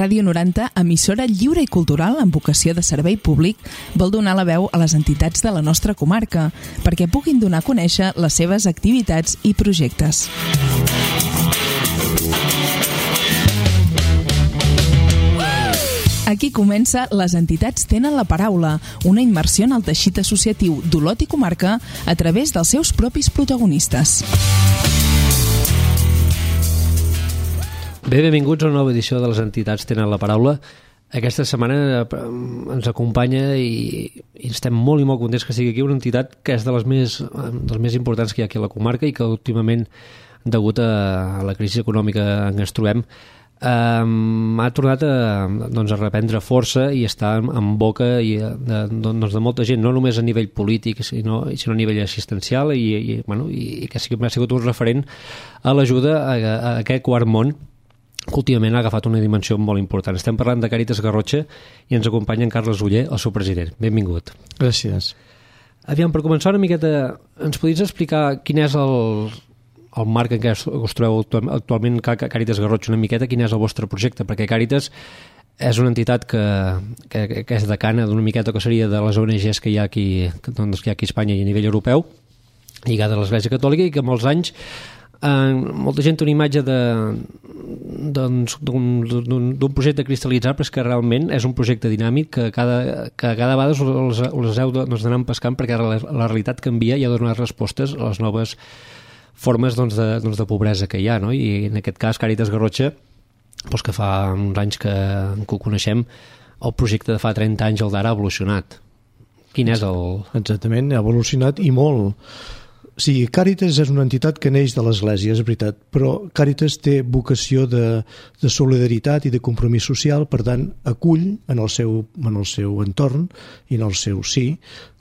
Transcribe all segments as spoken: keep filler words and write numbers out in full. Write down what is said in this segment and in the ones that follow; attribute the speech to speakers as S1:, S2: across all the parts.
S1: Ràdio noranta, emissora lliure i cultural amb vocació de servei públic, vol donar la veu a les entitats de la nostra comarca perquè puguin donar a conèixer les seves activitats i projectes. Aquí comença Les entitats tenen la paraula, una immersió en el teixit associatiu d'Olot i comarca a través dels seus propis protagonistes.
S2: Bé, benvinguts a una nova edició de Les entitats tenen la paraula. Aquesta setmana ens acompanya i, i estem molt i molt contents que sigui aquí una entitat que és de les més, de les més importants que hi ha aquí a la comarca i que últimament, degut a la crisi econòmica en què ens trobem, Um, ha tornat a, doncs, a reprendre força i està en, en boca i de, doncs, de molta gent, no només a nivell polític sinó, sinó a nivell assistencial i, i, bueno, i que sí que ha sigut un referent a l'ajuda a, a, a aquest quart món que últimament ha agafat una dimensió molt important. Estem parlant de Càritas Garrotxa i ens acompanya en Carles Oller, el seu president. Benvingut.
S3: Gràcies.
S2: Aviam, per començar una miqueta, ens podries explicar quin és el el marc en què us trobeu actualment Càritas Garrotxa, una miqueta quin és el vostre projecte, perquè Càritas és una entitat que, que, que és decana d'una miqueta que seria de les O N Ges que hi ha aquí, doncs, que hi ha aquí a Espanya i a nivell europeu, lligada a l'Església Catòlica, i que molts anys eh, molta gent té una imatge de doncs, d'un projecte cristal·litzat, però és que realment és un projecte dinàmic que cada, que cada vegada us, us heu d'anar pescant perquè la, la realitat canvia i ha de donar respostes a les noves formes doncs, de, doncs, de pobresa que hi ha, no? I en aquest cas Càritas Garrotxa, doncs, que fa uns anys que, que ho coneixem, el projecte de fa trenta anys, el d'ara, ha evolucionat. Quin és el...?
S3: Exactament, ha evolucionat i molt. O sigui, Càritas és una entitat que neix de l'Església, és veritat, però Càritas té vocació de, de solidaritat i de compromís social, per tant, acull en el seu, en el seu entorn i en el seu sí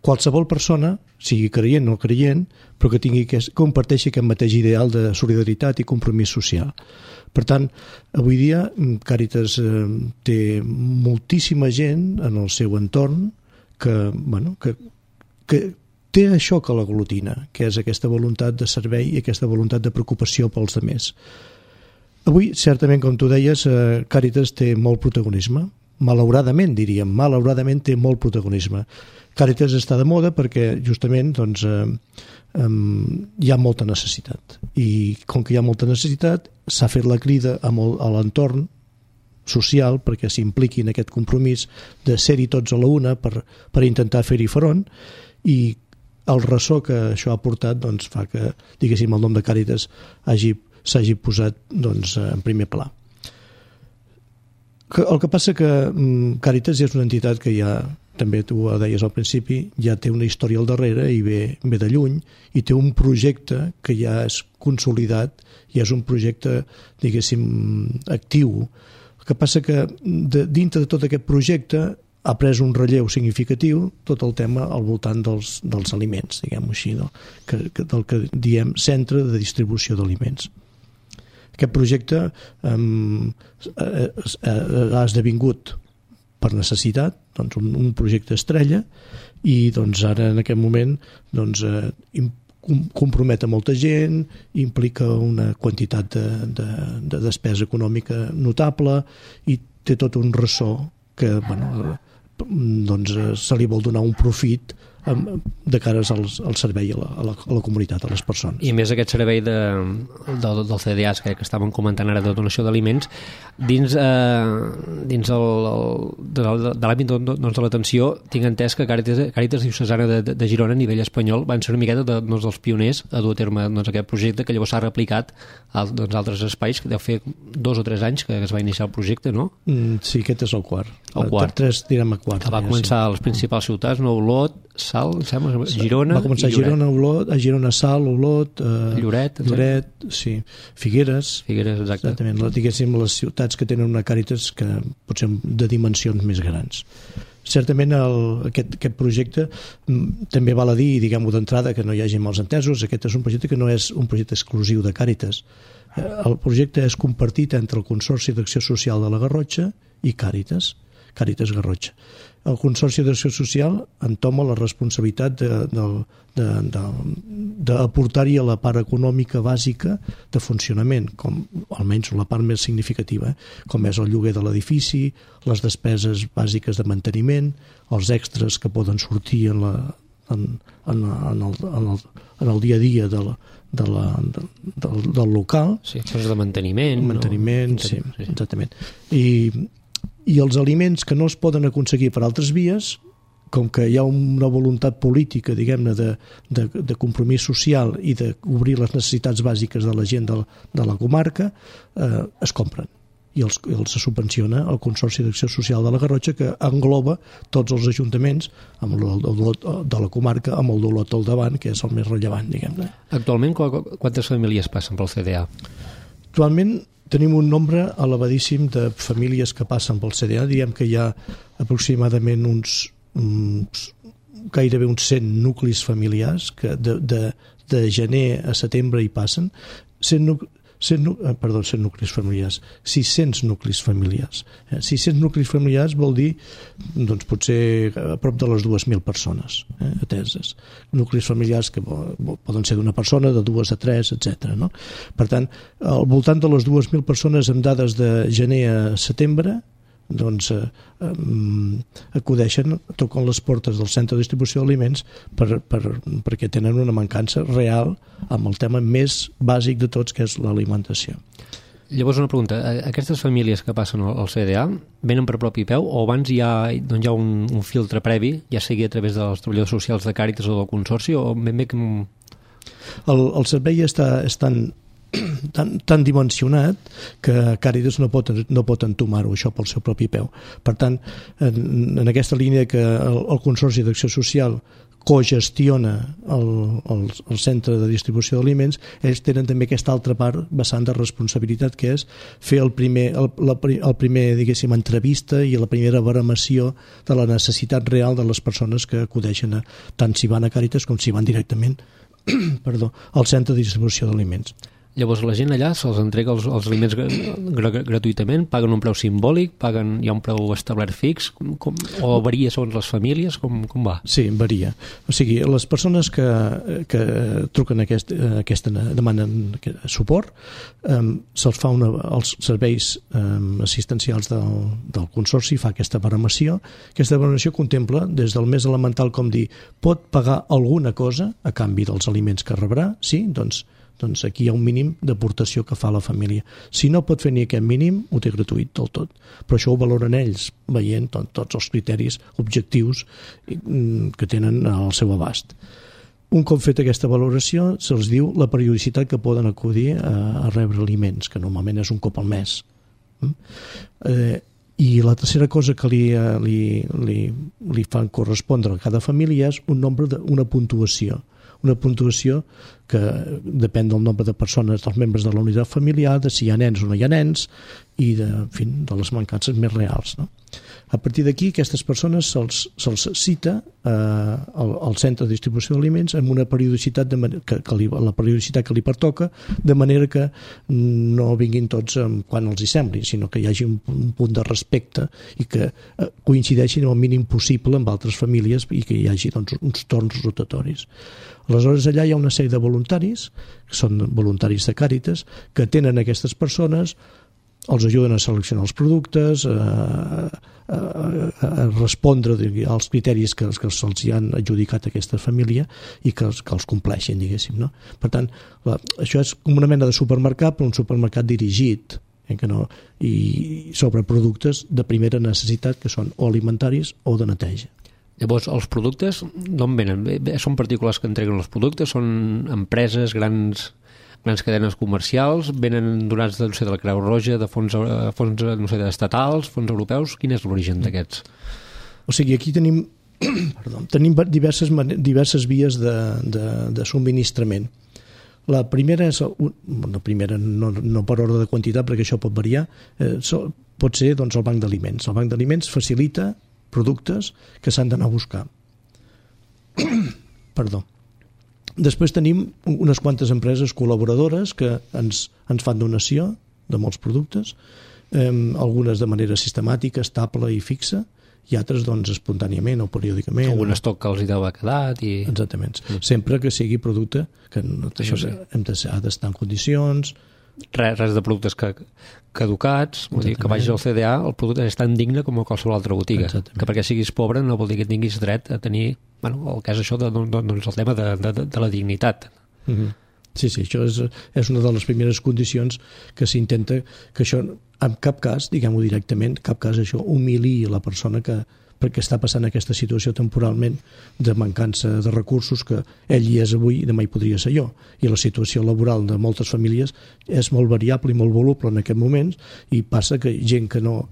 S3: qualsevol persona, sigui creient o no creient, però que tingui que comparteixi aquest mateix ideal de solidaritat i compromís social. Per tant, avui dia Càritas eh, té moltíssima gent en el seu entorn que, bueno, que, que té això que l'aglutina, que és aquesta voluntat de servei i aquesta voluntat de preocupació pels altres. Avui, certament, com tu deies, eh, Càritas té molt protagonisme. Malauradament, diríem, malauradament té molt protagonisme. Càritas està de moda perquè, justament, doncs, eh, eh, hi ha molta necessitat. I com que hi ha molta necessitat, s'ha fet la crida a, molt, a l'entorn social perquè s'impliqui en aquest compromís de ser-hi tots a la una per, per intentar fer-hi front, i el ressò que això ha portat doncs, fa que, diguéssim, el nom de Càritas hagi, s'hagi posat doncs, en primer pla. El que passa que Càritas és una entitat que ja, també tu ho deies al principi, ja té una història al darrere i ve, ve de lluny, i té un projecte que ja és consolidat i és un projecte, diguéssim, actiu. El que passa que de, dintre de tot aquest projecte ha pres un relleu significatiu tot el tema al voltant dels, dels aliments, diguem-ho així, no? que, que, del que diem centre de distribució d'aliments. Aquest projecte um, ha esdevingut per necessitat doncs, un, un projecte estrella i doncs, ara en aquest moment doncs, eh, compromet a molta gent, implica una quantitat de, de, de despesa econòmica notable i té tot un ressò que bueno, doncs, se li vol donar un profit de cares al, al servei a la, a, la, a la comunitat, a les persones.
S2: I més aquest servei de, del, del C D A S que, que estàvem comentant ara de donació d'aliments dins, eh, dins el, el, de, de l'àmbit doncs, de l'atenció, tinc entès que Càritas, Càritas Diocesana de, de, de Girona a nivell espanyol van ser una miqueta de, doncs, dels pioners a dur a terme doncs, aquest projecte que llavors s'ha replicat a doncs, altres espais, que deu fer dos o tres anys que es va iniciar el projecte, no?
S3: Mm, sí, aquest és el quart.
S2: El quart.
S3: Tres, direm a quart.
S2: Que va començar a les principals ciutats, no? Olot, Sal, sembla, Girona
S3: va començar
S2: i
S3: a Girona, Olot, a Girona, Sal, Olot, eh,
S2: Lloret,
S3: Lloret, sí, Figueres,
S2: Figueres, exacte.
S3: Exactament, diguéssim les ciutats que tenen una Càritas que potser de dimensions més grans. Certament el, aquest, aquest projecte també val a dir, diguem-ho d'entrada, que no hi hagi mals entesos, aquest és un projecte que no és un projecte exclusiu de Càritas. El projecte és compartit entre el Consorci d'Acció Social de la Garrotxa i Càritas. Càritas Garrotxa. El Consorci d'Acció Social entoma la responsabilitat d'aportar-hi a la part econòmica bàsica de funcionament, com almenys la part més significativa, com és el lloguer de l'edifici, les despeses bàsiques de manteniment, els extras que poden sortir en, la, en, en, en, el, en, el, en el dia a dia de la, de la, de, del, del local.
S2: Sí, coses de manteniment.
S3: Manteniment,
S2: no?
S3: sí, sí, exactament. I i els aliments que no es poden aconseguir per altres vies, com que hi ha una voluntat política, diguem-ne, de, de, de compromís social i d'obrir les necessitats bàsiques de la gent de, de la comarca, eh, es compren i els, els subvenciona el Consorci d'Acció Social de la Garrotxa, que engloba tots els ajuntaments amb el dolot de la comarca, amb el dolot al davant, que és el més rellevant, diguem-ne.
S2: Actualment, quantes famílies passen pel C D A?
S3: Actualment tenim un nombre elevadíssim de famílies que passen pel C D A. Diem que hi ha aproximadament uns, uns gairebé uns cent nuclis familiars que de, de, de gener a setembre hi passen. cent, cent, perdó, cent nuclis familiars, sis-cents nuclis familiars. sis-cents nuclis familiars vol dir, doncs, potser a prop de les dues mil persones eh, ateses. Nuclis familiars que poden ser d'una persona, de dues a tres, etcètera. No? Per tant, al voltant de les dues mil persones amb dades de gener a setembre, doncs eh, eh, acudeixen, toquen les portes del centre de distribució d'aliments per, per, perquè tenen una mancança real amb el tema més bàsic de tots, que és l'alimentació.
S2: Llavors, una pregunta, aquestes famílies que passen al C D A venen per propi peu o abans hi ha, doncs hi ha un, un filtre previ, ja sigui a través dels treballadors socials de Càritas o del Consorci, o ben bé que...
S3: El, el servei està, està tan, tan dimensionat que Càritas no pot, no pot entomar-ho això pel seu propi peu. Per tant, en, en aquesta línia que el, el Consorci d'Acció Social cogestiona el, el, el centre de distribució d'aliments, ells tenen també aquesta altra part vessant de responsabilitat, que és fer el primer, el, la, el primer diguéssim, entrevista i la primera baremació de la necessitat real de les persones que acudeixen a, tant si van a Càritas com si van directament perdó, al centre de distribució d'aliments.
S2: Llavors la gent allà se'ls entrega els, els aliments gratuïtament, paguen un preu simbòlic, paguen, hi ha un preu establert fix, com, o varia segons les famílies, com, com va?
S3: Sí, varia. O sigui, les persones que, que truquen aquest, aquesta demanen suport, um, se'ls fa una, els serveis um, assistencials del, del Consorci fa aquesta baremació. Aquesta baremació contempla des del més elemental com dir, pot pagar alguna cosa a canvi dels aliments que rebrà, sí, doncs doncs aquí hi ha un mínim d'aportació que fa la família. Si no pot fer ni aquest mínim, ho té gratuït del tot. Però això ho valoren ells, veient tot, tots els criteris objectius que tenen al seu abast. Un cop fet aquesta valoració, se'ls diu la periodicitat que poden acudir a, a rebre aliments, que normalment és un cop al mes. Eh, I la tercera cosa que li, li, li, li fan correspondre a cada família és un nombre de, una puntuació. Una puntuació que depèn del nombre de persones, dels membres de la unitat familiar, de si hi ha nens o no hi ha nens i de, en fi, de les mancances més reals. No? A partir d'aquí, aquestes persones se'ls, se'ls cita eh, al, al centre de distribució d'aliments amb una periodicitat, de, que, que li, la periodicitat que li pertoca, de manera que no vinguin tots quan els hi sembli, sinó que hi hagi un, un punt de respecte i que eh, coincideixin el mínim possible amb altres famílies i que hi hagi doncs, uns torns rotatoris. Aleshores, allà hi ha una sèrie de voluntaris, que són voluntaris de Càritas, que tenen aquestes persones, els ajuden a seleccionar els productes, a, a, a respondre als criteris que, que se'ls han adjudicat a aquesta família i que, que els compleixin, diguéssim. No? Per tant, la, això és com una mena de supermercat, però un supermercat dirigit, eh, que no, i sobre productes de primera necessitat que són o alimentaris o de neteja.
S2: Llavors, els productes d'on venen? Són particulars que entreguen els productes? Són empreses, grans, grans cadenes comercials? Venen donats de, no sé, de la Creu Roja, de fons, fons no sé, estatals, fons europeus? Quin és l'origen d'aquests?
S3: O sigui, aquí tenim, perdó, tenim diverses, diverses vies de, de, de subministrament. La primera és, la primera no, no per ordre de quantitat, perquè això pot variar, eh, pot ser doncs, el banc d'aliments. El banc d'aliments facilita productes que s'han d'anar a buscar. Perdó. Després tenim unes quantes empreses col·laboradores que ens, ens fan donació de molts productes eh, algunes de manera sistemàtica, estable i fixa, i altres doncs espontàniament o periòdicament.
S2: Algun estoc que els hi deu haver quedat. I...
S3: Exactament. Mm. Sempre que sigui producte que no, això sí. hem de, ha d'estar en condicions.
S2: Res, res de productes que, caducats, vull dir, que vagis al C D A, el producte és tan digne com a qualsevol altra botiga. Exactament. Que perquè siguis pobre no vol dir que tinguis dret a tenir, bueno, el cas això de, doncs el tema de, de, de la dignitat. Mm-hmm.
S3: Sí, sí, això és, és una de les primeres condicions que s'intenta que això, en cap cas, diguem-ho directament, cap cas això humili la persona que perquè està passant aquesta situació temporalment de mancança de recursos que ell hi és avui i demà hi podria ser jo. I la situació laboral de moltes famílies és molt variable i molt voluble en aquest moment i passa que gent que no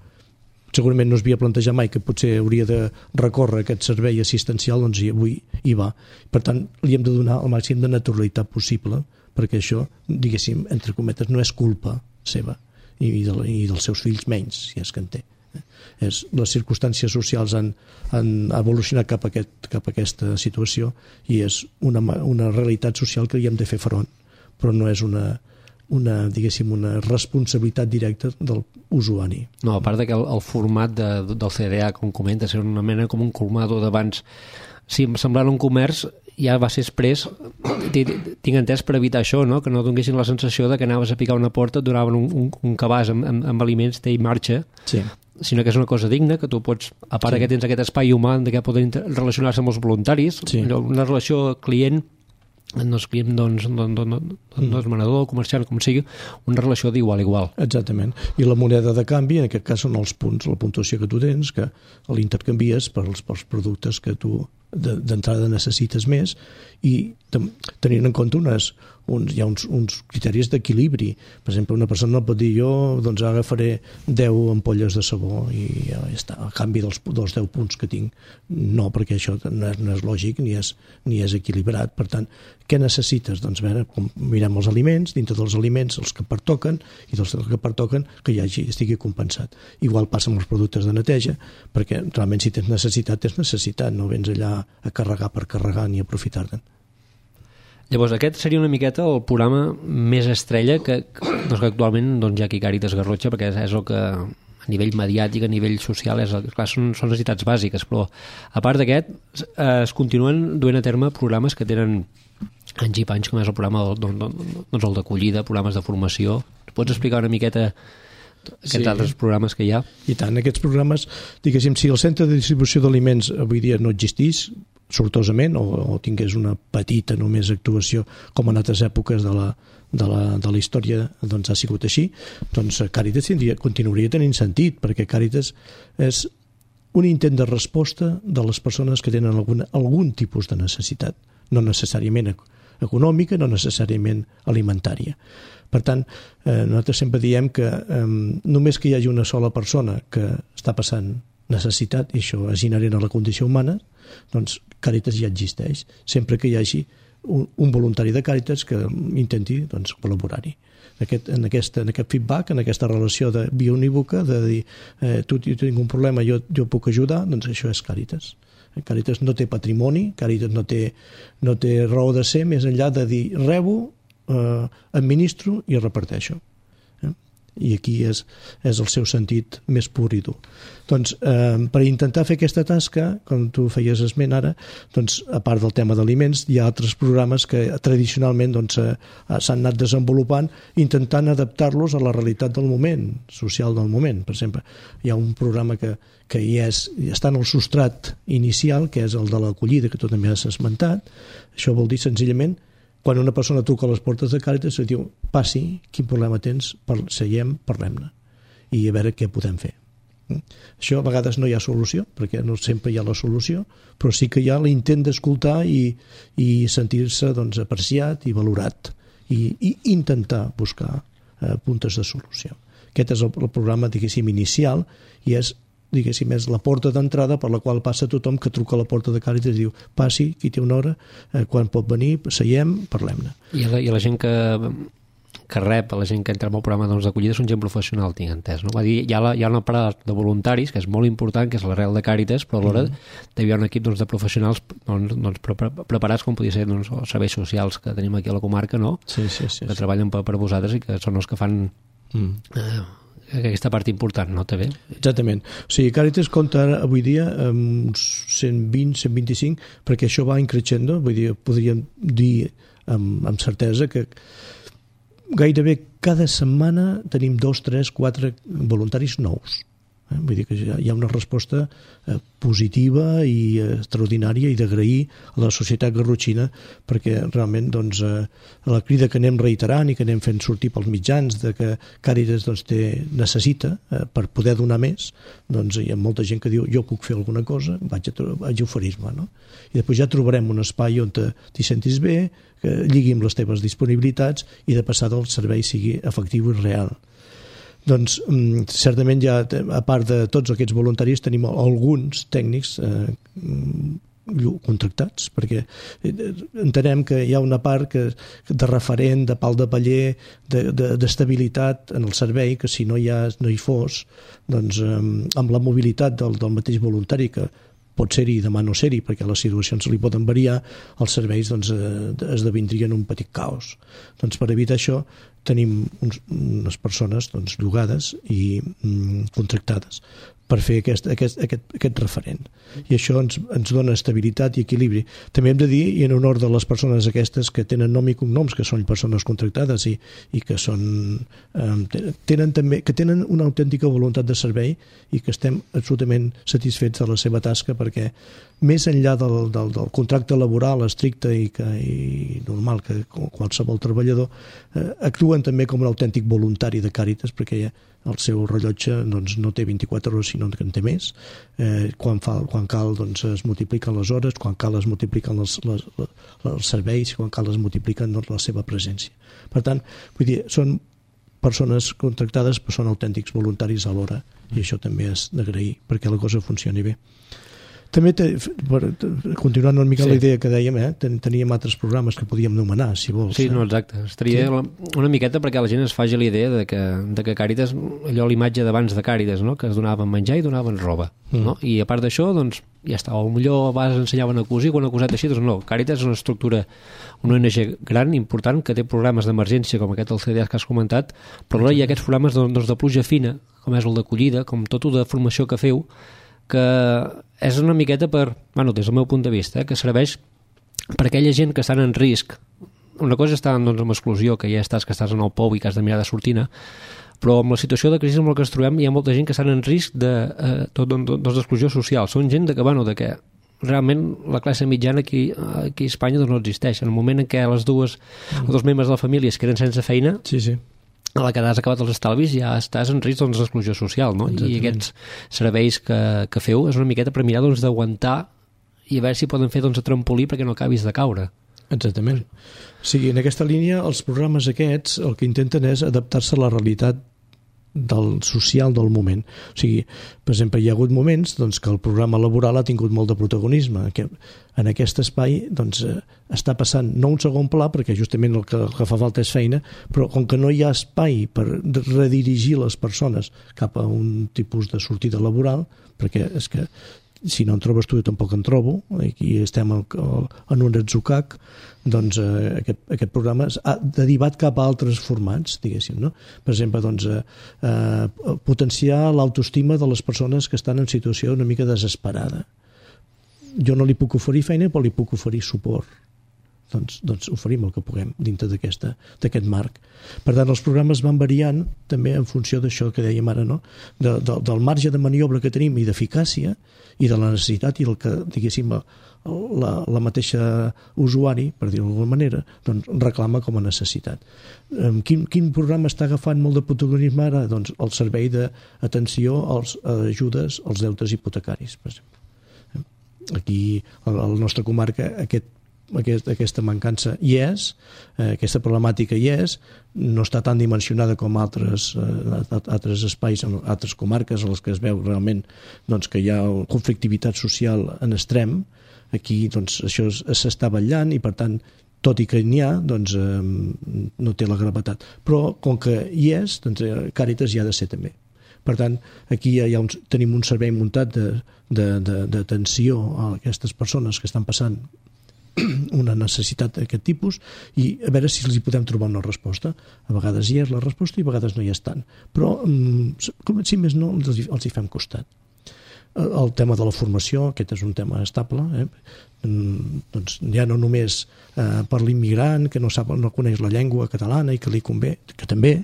S3: segurament no es havia plantejat mai que potser hauria de recórrer aquest servei assistencial, doncs avui hi va. Per tant, li hem de donar el màxim de naturalitat possible perquè això, diguéssim, entre cometes, no és culpa seva i, de, i dels seus fills menys, si és que en té. És, les circumstàncies socials han, han evolucionat cap a, aquest, cap a aquesta situació i és una, una realitat social que hi hem de fer front, però no és una, una, diguéssim, una responsabilitat directa del usuari.
S2: No, a part que el, el format de, del C D A, com comentes, era una mena com un colmado d'abans. Sí, semblant un comerç ja va ser express, tinc entès per evitar això, no? Que no donessin la sensació de que anaves a picar una porta, et donaven un, un, un cabàs amb, amb, amb aliments, té i marxa, sí. Sinó que és una cosa digna, que tu pots, a part sí. que tens aquest espai humà de què poden relacionar-se amb els voluntaris, sí. Una relació client, no és client, doncs, doncs, doncs, doncs mm. manador, comerciant, com sigui, una relació d'igual a igual.
S3: Exactament. I la moneda de canvi, en aquest cas, són els punts, la puntuació que tu tens, que l'intercanvies pels, pels productes que tu d'entrada necessites més i tenint en compte unes, uns, hi ha uns, uns criteris d'equilibri. Per exemple, una persona pot dir jo doncs agafaré deu ampolles de sabó i ja està, a canvi dels, dels deu punts que tinc. No, perquè això no és, no és lògic ni és, ni és equilibrat. Per tant, què necessites? Doncs veure, com mirem els aliments, dintre dels aliments els que pertoquen i dels que pertoquen que hi hagi, estigui compensat. Igual passa amb els productes de neteja, perquè realment si tens necessitat, tens necessitat, no vens allà a carregar per carregar ni aprofitar-te'n.
S2: Llavors, aquest seria una miqueta el programa més estrella que, doncs, que actualment doncs, hi ha aquí Càritas Garrotxa, perquè és, és el que a nivell mediàtic, a nivell social, és, clar, són, són necessitats bàsiques, però a part d'aquest eh, es continuen duent a terme programes que tenen anys i panys, com és el programa del, doncs, el d'acollida, programes de formació. Pots explicar una miqueta aquests sí. altres programes que hi ha?
S3: I tant, aquests programes, diguéssim, si el centre de distribució d'aliments avui dia no existís, sortosament, o, o tingués una petita només actuació, com en altres èpoques de la, de la, de la història doncs ha sigut així, doncs Càritas tindria, continuaria tenint sentit, perquè Càritas és un intent de resposta de les persones que tenen algun, algun tipus de necessitat, no necessàriament econòmica, no necessàriament alimentària. Per tant, eh, nosaltres sempre diem que eh, només que hi hagi una sola persona que està passant necessitat, i això és inherent a la condició humana, doncs Càritas ja existeix, sempre que hi hagi un, un voluntari de Càritas que intenti doncs, col·laborar-hi. Aquest, en, aquest, en aquest feedback, en aquesta relació de via unívoca, de dir eh, tu, tu tinc un problema, jo, jo puc ajudar, doncs això és Càritas. Càritas no té patrimoni, Càritas no té, no té raó de ser més enllà de dir rebo, eh, administro i reparteixo. I aquí és, és el seu sentit més pur i dur. Doncs, eh, per intentar fer aquesta tasca, com tu feies esment ara, doncs, a part del tema d'aliments, hi ha altres programes que tradicionalment doncs, eh, s'han anat desenvolupant intentant adaptar-los a la realitat del moment, social del moment. Per exemple, hi ha un programa que, que hi és, està en el substrat inicial, que és el de l'acollida, que tu també has esmentat. Això vol dir senzillament quan una persona truca a les portes de Càritas i diu, passi, quin problema tens, seiem, parlem-ne i a veure què podem fer. Això a vegades no hi ha solució, perquè no sempre hi ha la solució, però sí que hi ha l'intent d'escoltar i, i sentir-se doncs, apreciat i valorat i, i intentar buscar eh, puntes de solució. Aquest és el, el programa, diguéssim, inicial i és diguéssim, és la porta d'entrada per la qual passa tothom que truca a la porta de Càritas i diu, passi, qui té una hora, eh, quan pot venir, seiem, parlem-ne.
S2: I la, i la gent que, que rep, la gent que entra en el programa doncs, d'acollida és un gent professional, tinc entès, no? Va dir, hi ha, la, hi ha una part de voluntaris, que és molt important, que és l'arrel de Càritas, però alhora mm. hi ha un equip doncs, de professionals doncs, doncs, pre preparats, com podia ser doncs, els serveis socials que tenim aquí a la comarca, no?
S3: Sí, sí, sí.
S2: Que sí. treballen per, per vosaltres i que són els que fan... Mm. Eh, aquesta part important, no? També.
S3: Exactament. O sigui, Càritas compta ara, avui dia, amb uns cent vint, cent vint-i-cinc, perquè això va increixendo, vull dir, podríem dir amb, amb certesa que gairebé cada setmana tenim dos, tres, quatre voluntaris nous. Eh? Vull dir que hi ha una resposta eh, positiva i eh, extraordinària i d'agrair a la societat garrotxina, perquè realment doncs, eh, la crida que anem reiterant i que anem fent sortir pels mitjans de que Càritas doncs, té, necessita eh, per poder donar més, doncs hi ha molta gent que diu jo puc fer alguna cosa, vaig a, vaig a oferir-me, no? I després ja trobarem un espai on t'hi sentis bé, que lligui amb les teves disponibilitats i de passada el servei sigui efectiu i real. Doncs certament ja, a part de tots aquests voluntaris, tenim alguns tècnics eh, contractats, perquè entenem que hi ha una part que, de referent, de pal de paller, d'estabilitat de, de, en el servei, que si no hi, ha, no hi fos, doncs eh, amb la mobilitat del, del mateix voluntari, que pot ser-hi i demà no ser-hi, perquè les situacions li poden variar, els serveis doncs, eh, esdevindrien un petit caos. Doncs per evitar això tenim uns, unes persones doncs, llogades i mm, contractades per fer aquest, aquest, aquest, aquest referent. I això ens, ens dona estabilitat i equilibri. També hem de dir, i en honor de les persones aquestes que tenen nom i cognoms, que són persones contractades i, i que són eh, tenen també que tenen una autèntica voluntat de servei i que estem absolutament satisfets de la seva tasca, perquè més enllà del, del, del contracte laboral estricte i, que, i normal que qualsevol treballador, eh, actuen també com un autèntic voluntari de Càritas, perquè ja el seu rellotge doncs, no té vint-i-quatre hores sinó que en té més, eh, quan, fa, quan cal doncs, es multipliquen les hores, quan cal es multipliquen les, les, les, els serveis, quan cal es multipliquen doncs, la seva presència. Per tant, vull dir, són persones contractades però són autèntics voluntaris alhora, i això també és d'agrair perquè la cosa funcioni bé. També, te, per, continuant una mica sí. La idea que dèiem, eh, ten, teníem altres programes que podíem nomenar, si vols.
S2: Sí, no, exacte. Estaria sí. una miqueta perquè la gent es faci la idea de que, de que Càritas, allò l'imatge d'abans de Càritas, no? Que es donaven menjar i donaven roba. Mm. No? I a part d'això, doncs, ja està. O millor abans ensenyaven a cosir, quan ha cosat així, doncs no. Càritas és una estructura, una O N G gran, important, que té programes d'emergència, com aquest del C D A que has comentat, però alhora hi ha aquests programes doncs, de pluja fina, com és el d'acollida, com tot el de formació que feu, que és una miqueta per, bueno, des del meu punt de vista, eh, que serveix per aquella gent que estan en risc. Una cosa està doncs, amb exclusió, que ja estàs, que estàs en el pou i que has de mirar de sortir-ne, però amb la situació de crisi amb la que ens trobem hi ha molta gent que estan en risc de, eh, tot, doncs, d'exclusió social. Són gent de que, bueno, de que realment la classe mitjana aquí, aquí a Espanya doncs, no existeix. En el moment en què les dues, els dos membres de la família es queden sense feina,
S3: sí, sí.
S2: a la que has acabat els estalvis ja estàs en risc doncs, d'exclusió social, no? Exactament. I aquests serveis que, que feu és una miqueta per mirar doncs, d'aguantar i a veure si poden fer doncs, a trampolí perquè no acabis de caure.
S3: Exactament. O sigui, en aquesta línia els programes aquests el que intenten és adaptar-se a la realitat del social del moment. O sigui, per exemple, hi ha hagut moments doncs, que el programa laboral ha tingut molt de protagonisme, que en aquest espai doncs, està passant no un segon pla, perquè justament el que, el que fa falta és feina, però com que no hi ha espai per redirigir les persones cap a un tipus de sortida laboral, perquè és que si no en trobes tu, jo tampoc en trobo, aquí estem en un atzucac, doncs eh, aquest, aquest programa ha derivat cap a altres formats, diguéssim, no? Per exemple, doncs, eh, potenciar l'autoestima de les persones que estan en situació una mica desesperada. Jo no li puc oferir feina, però li puc oferir suport. Doncs, doncs oferim el que puguem dintre d'aquest marc. Per tant, els programes van variant també en funció d'això que dèiem ara, no? De, de, del marge de maniobra que tenim i d'eficàcia i de la necessitat i el que, diguéssim, la, la mateixa usuari, per dir-ho d'alguna manera, doncs reclama com a necessitat. Quin, quin programa està agafant molt de protagonisme ara? Doncs el servei d'atenció als ajudes als deutes hipotecaris, per exemple. Aquí, a la nostra comarca, aquest Aquest, aquesta mancança hi és, eh, aquesta problemàtica hi és, no està tan dimensionada com altres, eh, altres espais, en altres comarques en les que es veu realment doncs, que hi ha conflictivitat social en extrem. Aquí doncs, això s'està vetllant i per tant tot i que n'hi ha, doncs, eh, no té la gravetat. Però com que hi és, doncs, Càritas hi ha de ser també. Per tant, aquí hi ha un, tenim un servei muntat d'atenció a aquestes persones que estan passant una necessitat d'aquest tipus i a veure si els hi podem trobar una resposta. A vegades hi és la resposta i a vegades no hi és tant. Però, com si més no, els hi, els hi fem costat. El tema de la formació, aquest és un tema estable, eh? Doncs ja no només eh, per l'immigrant que no sap, no coneix la llengua catalana i que li convé, que també,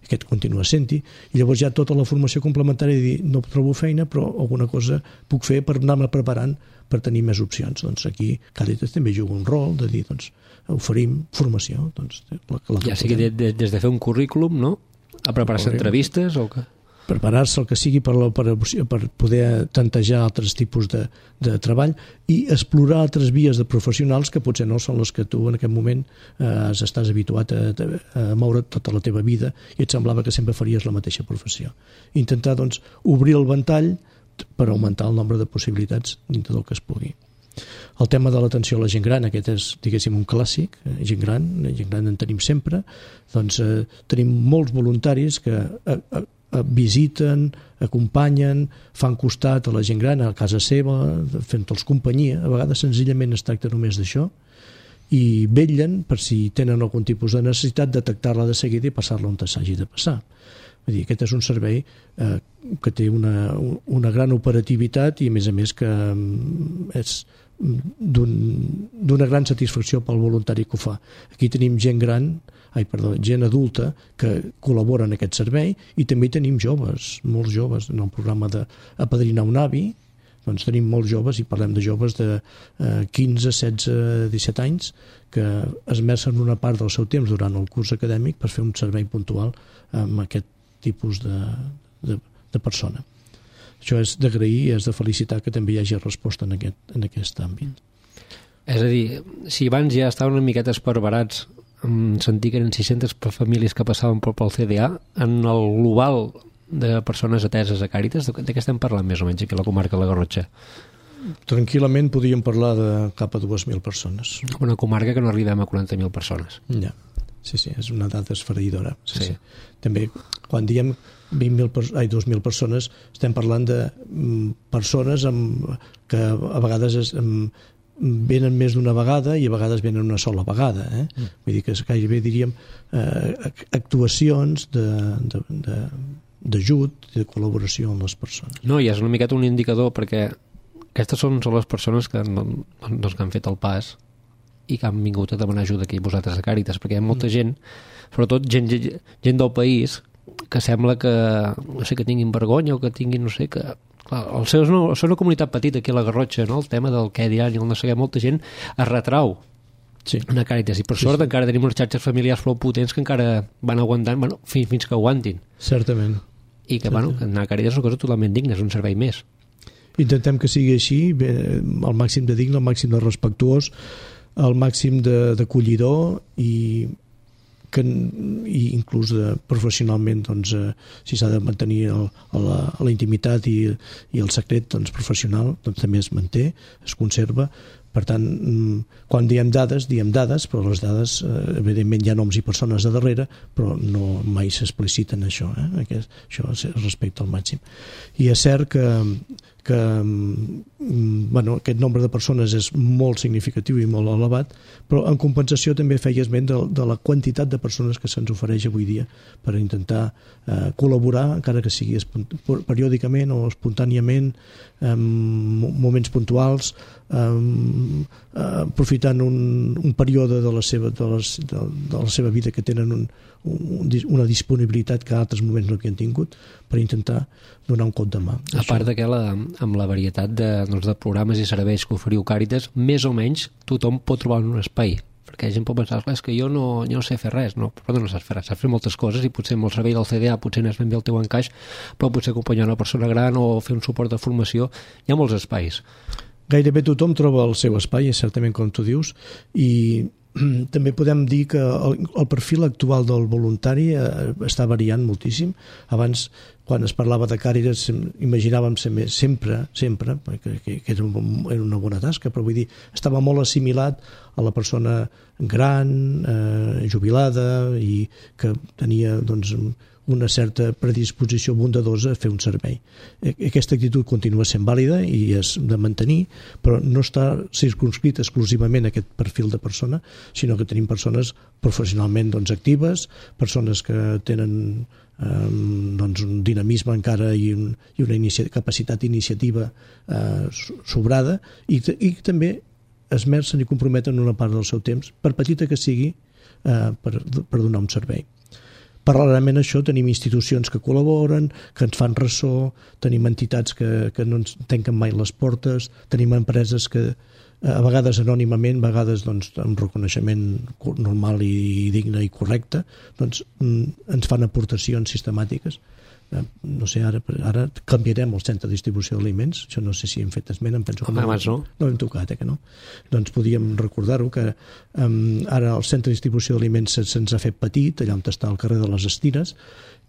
S3: aquest continua sent-hi, i llavors ja tota la formació complementària de dir, no trobo feina, però alguna cosa puc fer per anar-me preparant per tenir més opcions. Doncs aquí Càritas també juga un rol de dir, doncs, oferim formació. Doncs, la, la
S2: ja sigui de, de, des de fer un currículum, no? A preparar-se entrevistes o què?
S3: Preparar-se el que sigui per, la, per, per poder tantejar altres tipus de, de treball i explorar altres vies de professionals que potser no són les que tu en aquest moment eh, estàs habituat a, a moure tota la teva vida i et semblava que sempre faries la mateixa professió. Intentar, doncs, obrir el ventall per augmentar el nombre de possibilitats dintre del que es pugui. El tema de l'atenció a la gent gran, aquest és, diguéssim, un clàssic, gent gran, gent gran en tenim sempre, doncs eh, tenim molts voluntaris que eh, eh, visiten, acompanyen, fan costat a la gent gran a casa seva, fent-los companyia. A vegades senzillament es tracta només d'això i vetllen per si tenen algun tipus de necessitat, detectar-la de seguida i passar-la on s'hagi de passar. Vull dir, aquest és un servei eh, que té una, una gran operativitat i a més a més que és d'una gran satisfacció pel voluntari que ho fa. Aquí tenim gent gran ai, perdó, gent adulta que col·labora en aquest servei i també tenim joves, molts joves en el programa d'Apadrinar un avi, doncs tenim molts joves i parlem de joves de eh, quinze, setze, disset anys que esmercen una part del seu temps durant el curs acadèmic per fer un servei puntual amb aquest tipus de, de, de persona. Això és d'agrair i és de felicitar que també hi hagi resposta en aquest, en aquest àmbit.
S2: És a dir, si abans ja estaven una miqueta esparverats sentir que eren sis-centes famílies que passaven pel C D A, en el global de persones ateses a Càritas, de què estem parlant més o menys aquí a la comarca de la Garrotxa?
S3: Tranquil·lament podríem parlar de cap a dues mil persones.
S2: Una comarca que no arribem a quaranta mil persones.
S3: Ja, sí, sí, és una dada esfereïdora. Sí,
S2: sí.
S3: Sí. També, quan diem vint mil, ai, dos mil persones, estem parlant de mm, persones amb, que a vegades és, amb, venen més d'una vegada i a vegades venen una sola vegada. Eh? Mm. Vull dir que gairebé diríem eh, actuacions d'ajut, de, de, de col·laboració amb les persones.
S2: No, i és una miqueta un indicador perquè aquestes són, són les persones que, doncs, que han fet el pas i que han vingut a demanar ajuda aquí vosaltres a Càritas, perquè hi ha molta mm. gent, sobretot gent, gent del país, que sembla que, no sé, que tinguin vergonya o que tinguin, no sé, que... Clar, el seu és una, una comunitat petita aquí a la Garrotxa, no? El tema del què diran i el no sé què, molta gent es retrau sí. a Càritas i per sí, sort sí. encara tenim unes xarxes familiars prou potents que encara van aguantant, bueno, fins, fins que aguantin.
S3: Certament.
S2: I que,
S3: Certament.
S2: bueno, anar a Càritas és una cosa totalment digna, és un servei més.
S3: Intentem que sigui així, bé, el màxim de digne, el màxim de respectuós, el màxim d'acollidor i que i inclús de, professionalment doncs, eh, si s'ha de mantenir el, la, la intimitat i, i el secret doncs, professional doncs, també es manté, es conserva. Per tant, quan diem dades, diem dades, però les dades, eh, evidentment hi ha noms i persones a darrere, però no mai s'expliciten això, eh? Aquest, això es respecta al màxim. I és cert que, que bueno, aquest nombre de persones és molt significatiu i molt elevat, però en compensació també feia esment de, de la quantitat de persones que se'ns ofereix avui dia per intentar eh, col·laborar, encara que sigui periòdicament o espontàniament, en moments puntuals, Um, uh, aprofitant un, un període de la, seva, de, les, de, de la seva vida que tenen un, un, una disponibilitat que a altres moments no havien tingut per intentar donar un cop de mà.
S2: A part de que la, amb la varietat de, doncs, de programes i serveis que oferiu Càritas, més o menys tothom pot trobar un espai, perquè la gent pot pensar, és que jo no, jo no sé fer res, no, però no saps fer res, saps fer moltes coses i potser amb el servei del C D A potser no és ben bé el teu encaix, però potser acompanyar una persona gran o fer un suport de formació, hi ha molts espais.
S3: Gairebé tothom troba el seu espai, certament com tu dius, i també podem dir que el, el perfil actual del voluntari eh, està variant moltíssim. Abans quan es parlava de Càritas imaginàvem sempre, sempre, que, que era una bona tasca, però vull dir, estava molt assimilat a la persona gran, eh, jubilada, i que tenia, doncs, una certa predisposició bondadosa a fer un servei. Aquesta actitud continua sent vàlida i és de mantenir, però no està circunscrit exclusivament a aquest perfil de persona, sinó que tenim persones professionalment, doncs, actives, persones que tenen eh, doncs, un dinamisme encara i, un, i una inici- capacitat d'iniciativa eh, sobrada, i, i també esmercen i comprometen una part del seu temps, per petita que sigui, eh, per, per donar un servei. Paral·lelament a això tenim institucions que col·laboren, que ens fan ressò, tenim entitats que, que no ens tanquen mai les portes, tenim empreses que a vegades anònimament, a vegades doncs, amb reconeixement normal i digne i correcte, doncs, ens fan aportacions sistemàtiques. No sé, ara, ara canviarem el centre de distribució d'aliments, això no sé si hem fet esment, em penso que
S2: no. no.
S3: No hem tocat, eh, que no? Doncs podíem recordar-ho, que um, ara el centre de distribució d'aliments se'ns ha fet petit, allà on està el carrer de les Estires,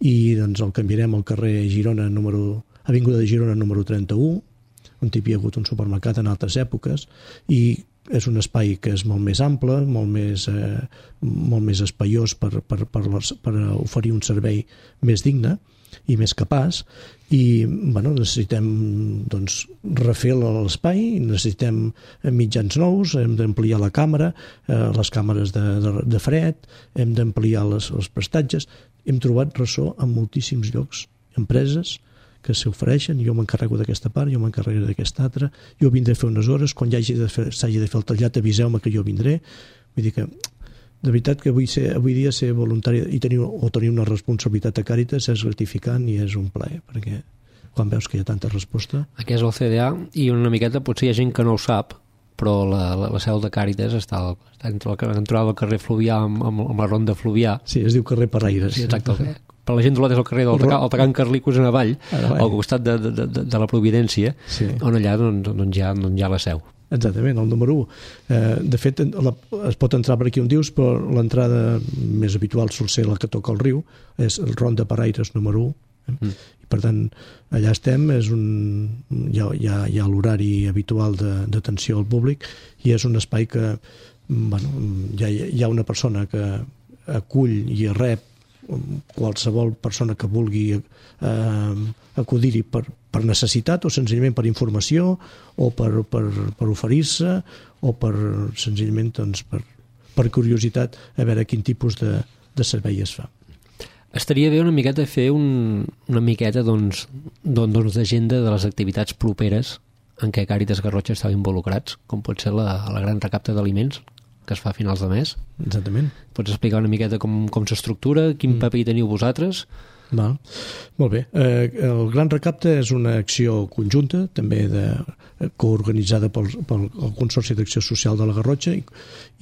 S3: i doncs el canviarem al carrer Girona, número, Avinguda de Girona número trenta-u, on hi havia hagut un supermercat en altres èpoques, i és un espai que és molt més ample, molt més, eh, molt més espaiós per, per, per, les, per oferir un servei més digne i més capaç, i bueno, necessitem doncs, refer l'espai, necessitem mitjans nous, hem d'ampliar la càmera, eh, les càmeres de, de, de fred, hem d'ampliar les, els prestatges. Hem trobat ressò en moltíssims llocs, empreses que s'ofereixen, jo m'encarrego d'aquesta part, jo m'encarrego d'aquesta altra, jo vindré a fer unes hores, quan s'hagi de, fer, de fer el tallat aviseu-me que jo vindré. Vull dir que de veritat que avui, ser, avui dia ser voluntari i tenir, o tenir una responsabilitat a Càritas és gratificant i és un plaer, perquè quan veus que hi ha tanta resposta...
S2: Aquí és el C D A i una miqueta potser hi ha gent que no ho sap, però la, la, la seu de Càritas està, al, està entre la entrada del carrer Fluvià amb, amb, amb la ronda Fluvià.
S3: Sí, es diu carrer Paraires.
S2: Sí, exacte. Per la gent d'Olot és el carrer del el Tacant Carlicos en avall, al costat de, de, de, de la Providència, sí. On allà doncs, doncs, hi ha, doncs hi ha la seu.
S3: Exactament, el número u. Eh, de fet, la, es pot entrar per aquí on dius, però l'entrada més habitual sol ser la que toca el riu, és el Ronda Paraires número u. Eh? Mm. I per tant, allà estem, és un, hi ha, hi ha, hi ha l'horari habitual d'atenció al públic i és un espai que bueno, hi, ha, hi ha una persona que acull i rep qualsevol persona que vulgui eh, acudir-hi per, per necessitat o senzillament per informació o per, per, per oferir-se o per senzillament doncs, per, per curiositat a veure quin tipus de, de servei es fa.
S2: Estaria bé una miqueta fer un, una miqueta doncs, doncs d'agenda de les activitats properes en què Càritas Garrotxa estava involucrats, com pot ser la, la gran recapta d'aliments que es fa a finals de mes.
S3: Exactament.
S2: Pots explicar una miqueta com, com s'estructura, quin mm. paper hi teniu vosaltres?
S3: Val. Molt bé. Eh, el Gran Recapte és una acció conjunta, també de, coorganitzada pel, pel Consorci d'Acció Social de la Garrotxa i,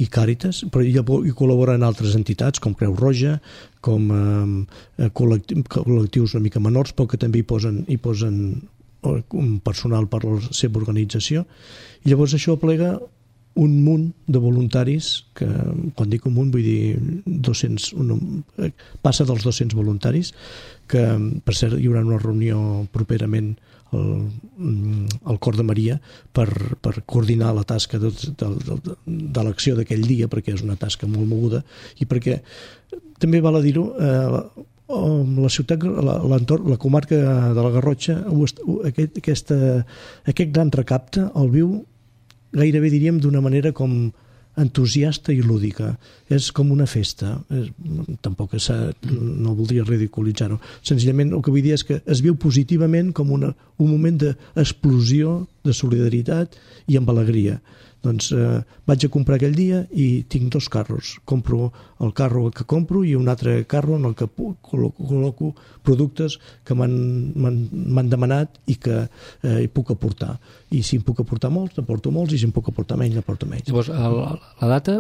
S3: i Càritas, però hi, hi col·laboren altres entitats com Creu Roja, com eh, col·lectius, col·lectius una mica menors, però que també hi posen, hi posen un personal per la seva organització. I llavors això aplega un munt de voluntaris, que quan dic un munt vull dir dos-cents, un, passa dels dos-cents voluntaris, que per cert hi haurà una reunió properament al, al Cor de Maria per, per coordinar la tasca de, de, de, de l'acció d'aquell dia, perquè és una tasca molt moguda i perquè també val a dir-ho, eh, la ciutat, l'entorn, la comarca de la Garrotxa, aquest, aquesta, aquest gran recapte el viu gairebé diríem d'una manera com entusiasta i lúdica. És com una festa. És, tampoc és, no voldria ridiculitzar-ho. Senzillament el que vull dir és que es viu positivament com una, un moment d'explosió de solidaritat i amb alegria. Doncs eh, vaig a comprar aquell dia i tinc dos carros. Compro el carro que compro i un altre carro en el que col·loco productes que m'han demanat i que eh, hi puc aportar. I si em puc aportar molts, n'aporto molts, i si em puc aportar menys, n'aporto menys.
S2: Llavors, el, la data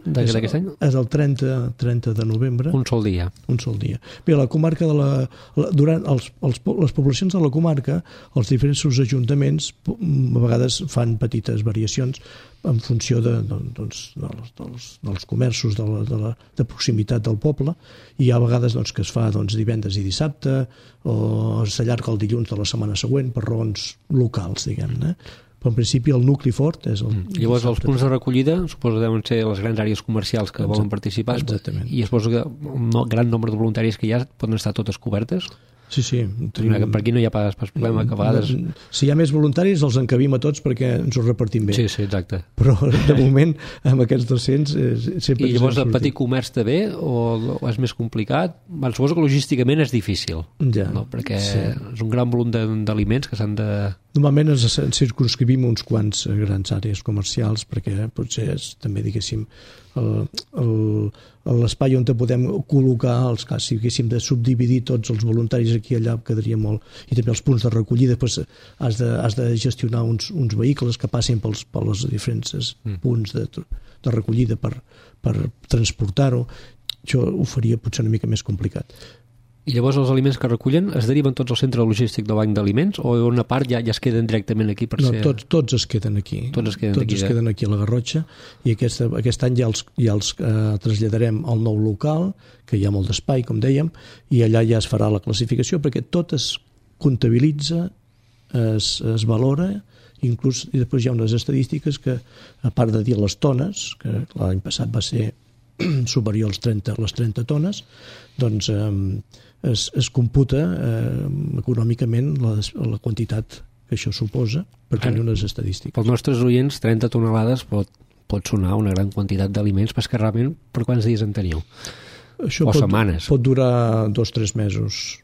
S2: d'aquest any?
S3: És el trenta, trenta de novembre.
S2: Un sol dia.
S3: Un sol dia. Bé, la comarca de la... la durant els, els, les poblacions de la comarca, els diferents ajuntaments a vegades fan petites variacions. en funció de, doncs, dels, dels, dels comerços de, la, de, la, de proximitat del poble, i hi ha vegades doncs, que es fa doncs, divendres i dissabte, o s'allarga el dilluns de la setmana següent per raons locals, diguem-ne. Però en principi el nucli fort és el...
S2: Mm. Llavors els punts de recollida suposo que deuen ser les grans àrees comercials que Exacte. Volen participar.
S3: Exactament.
S2: I suposo que un gran nombre de voluntaris que hi ha poden estar totes cobertes?
S3: Sí, sí.
S2: Tenim... Per aquí no hi ha pas, pas problema, que a vegades...
S3: Si hi ha més voluntaris els encabim a tots perquè ens ho repartim bé.
S2: Sí, sí, exacte.
S3: Però de moment amb aquests dos-cents eh, sempre...
S2: I llavors el petit comerç també o, o és més complicat? Bueno, suposo que logísticament és difícil,
S3: ja,
S2: no? Perquè
S3: sí.
S2: és un gran volum d'aliments que s'han de...
S3: Normalment ens circunscrivim uns quants grans àrees comercials perquè potser és també, diguéssim, l'espai on podem col·locar els cas, si haguéssim de subdividir tots els voluntaris aquí i allà quedaria molt, i també els punts de recollida, doncs has de, has de gestionar uns, uns vehicles que passin pels, pels diferents mm. punts de, de recollida per, per transportar-ho. Això ho faria potser una mica més complicat.
S2: I llavors els aliments que recullen es deriven tots al centre logístic del Banc d'Aliments o una part ja, ja es queden directament aquí per
S3: no,
S2: ser...
S3: tots, tots es queden aquí.
S2: Tots es queden,
S3: tots
S2: aquí,
S3: es queden aquí a la Garrotxa i aquest, aquest any ja els, ja els eh, traslladarem al nou local, que hi ha molt d'espai, com dèiem, i allà ja es farà la classificació perquè tot es comptabilitza, es, es valora, inclús i després hi ha unes estadístiques que, a part de dir les tones, que l'any passat va ser superior als trenta, les trenta tones, doncs eh, es, es computa eh, econòmicament la, la quantitat que això suposa per tenir unes estadístiques.
S2: Pels nostres oients, trenta tonelades pot, pot sonar una gran quantitat d'aliments, però és que realment per quants dies en teniu?
S3: Això
S2: o
S3: pot,
S2: setmanes?
S3: Pot durar dos o tres mesos.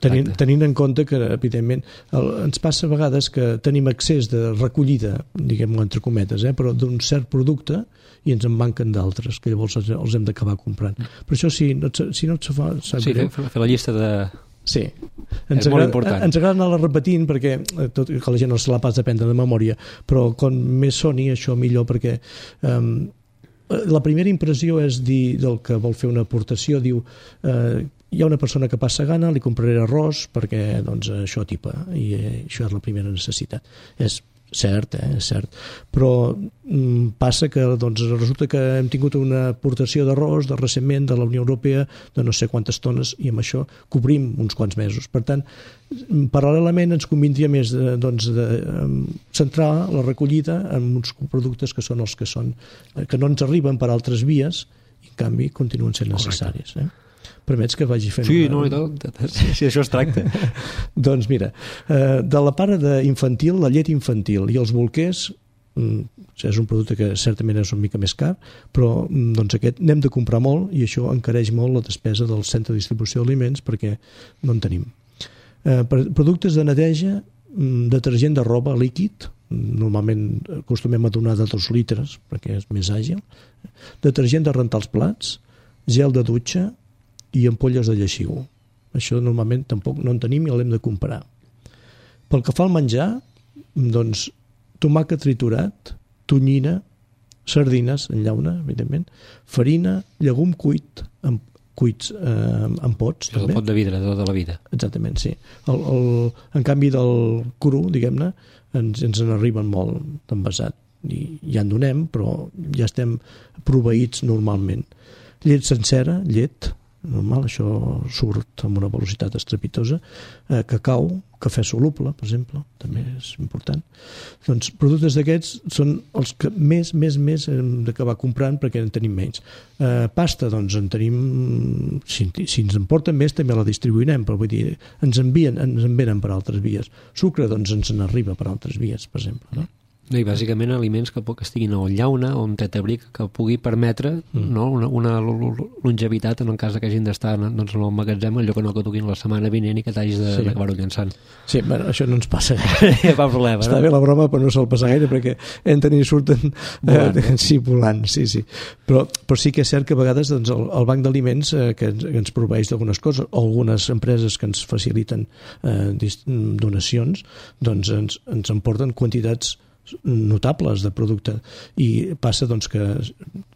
S3: Tenint, tenint en compte que, evidentment, el, ens passa a vegades que tenim accés de recollida, diguem-ho entre cometes, eh, però d'un cert producte i ens en manquen d'altres, que llavors els, els hem d'acabar comprant. Per això, si no, si no et fa...
S2: Sí, fer, fer la llista de...
S3: Sí.
S2: Ens és agrada, molt important.
S3: Ens agrada anar-la repetint perquè tot, que la gent no se la pas d'aprendre de memòria, però com més soni això millor perquè... Um, la primera impressió és dir del que vol fer una aportació, diu eh, hi ha una persona que passa gana, li compraré arròs perquè doncs, això tipa, i eh, això és la primera necessitat. És cert, eh, és cert, però mm, passa que doncs, resulta que hem tingut una aportació d'arròs de recentment de la Unió Europea de no sé quantes tones i amb això cobrim uns quants mesos. Per tant, paral·lelament ens convindria més de, doncs, de um, centrar la recollida en uns productes que són els que són, que no ens arriben per altres vies i en canvi continuen sent necessaris. Eh? Permets que vagi fent...
S2: Sí,
S3: una...
S2: no, i tot, sí, sí, això es tracta.
S3: Doncs mira, eh, de la part infantil, la llet infantil i els bolquers, mm, és un producte que certament és una mica més car, però doncs aquest n'hem de comprar molt i això encareix molt la despesa del centre de distribució d'aliments perquè no en tenim. Eh, per productes de neteja, detergent de roba líquid, normalment acostumem a donar de dos litres perquè és més àgil, detergent de rentar els plats, gel de dutxa i ampolles de lleixiu. Això normalment tampoc no en tenim i l'hem de comprar. Pel que fa al menjar, doncs tomàquet triturat, tonyina, sardines en llauna, evidentment, farina, llegum cuit, amb cuits eh, en pots.
S2: És el pot de vidre de tota la vida.
S3: Exactament, sí. El, el, en canvi del cru, diguem-ne, ens, ens en arriben molt d'envasat. I ja en donem, però ja estem proveïts normalment. Llet sencera, llet, normal, això surt amb una velocitat estrepitosa, eh, cacau, cafè soluble, per exemple, també és important. Doncs productes d'aquests són els que més, més, més hem d'acabar comprant perquè en tenim menys. Eh, pasta, doncs en tenim, si, si ens en porten més també la distribuirem, però vull dir, ens envien, ens envenen per altres vies. Sucre, doncs ens en arriba per altres vies, per exemple, no?
S2: No, i bàsicament aliments que, que estiguin a llauna o en tetabric que pugui permetre mm. no, una, una longevitat en el cas que hagin d'estar doncs, en el magatzem, allò que no que toquin la setmana vinent i que t'hagis d'acabar-ho sí. llençant.
S3: Sí, bueno, això no ens passa gaire.
S2: Ja fa problema,
S3: Està
S2: no?
S3: bé la broma, però no se'l passa gaire perquè entren i surten volant, eh, sí, volant, sí, sí. Però, però sí que és cert que a vegades doncs, el, el banc d'aliments eh, que, ens, que ens proveeix d'algunes coses, o algunes empreses que ens faciliten eh, donacions, doncs ens, ens emporten quantitats notables de producte i passa doncs que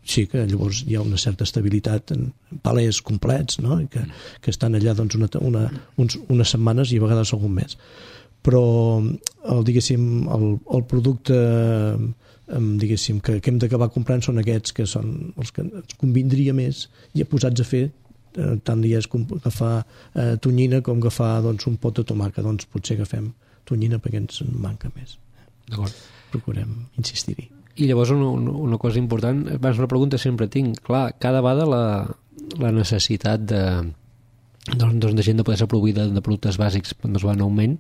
S3: sí que llavors hi ha una certa estabilitat en palers complets, no? I que, que estan allà doncs una, una, uns, unes setmanes i a vegades algun mes. però el, diguéssim, el, el producte diguéssim, que, que hem d'acabar comprant són aquests que són els que ens convindria més i posats a fer, eh, tant li és agafar eh, tonyina com agafar doncs, un pot de tomàquet, doncs potser agafem tonyina perquè ens en manca més.
S2: D'acord.
S3: Procurem insistir-hi.
S2: I llavors una, una cosa important, abans una pregunta sempre tinc, clar, cada vegada la, la necessitat de, doncs, de gent de poder ser proveïda de productes bàsics doncs, va en augment,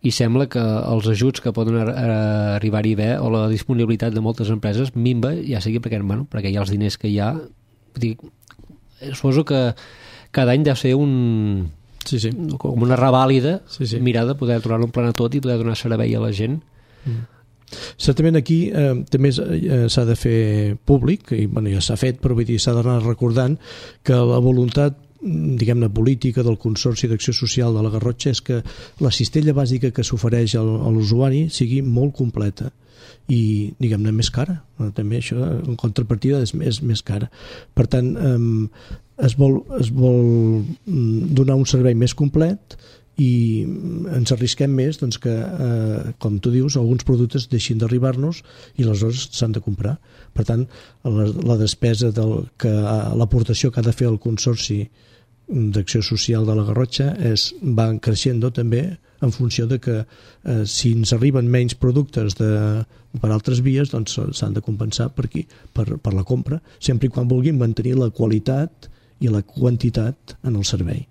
S2: i sembla que els ajuts que poden arribar-hi bé o la disponibilitat de moltes empreses minva, ja sigui perquè, bueno, perquè hi ha els diners que hi ha. Dic, suposo que cada any deu ser un,
S3: sí, sí.
S2: com una revàlida
S3: sí, sí.
S2: mirar de poder tornar-ho en plana tot i poder donar servei a la gent.
S3: Mm. Certament aquí eh, també eh, s'ha de fer públic, i bueno, ja s'ha fet, però vull dir, s'ha d'anar recordant que la voluntat diguem-ne política del Consorci d'Acció Social de la Garrotxa és que la cistella bàsica que s'ofereix a l'usuari sigui molt completa i diguem-ne més cara, també això en contrapartida és més, més cara, per tant eh, es, vol, es vol donar un servei més complet i ens arrisquem més doncs, que, eh, com tu dius, alguns productes deixin d'arribar-nos i aleshores s'han de comprar. Per tant, la, la despesa del, que l'aportació que ha de fer el Consorci d'Acció Social de la Garrotxa és, va creixent també en funció de que eh, si ens arriben menys productes de, per altres vies, doncs s'han de compensar per, aquí, per, per la compra, sempre i quan vulguin mantenir la qualitat i la quantitat en el servei,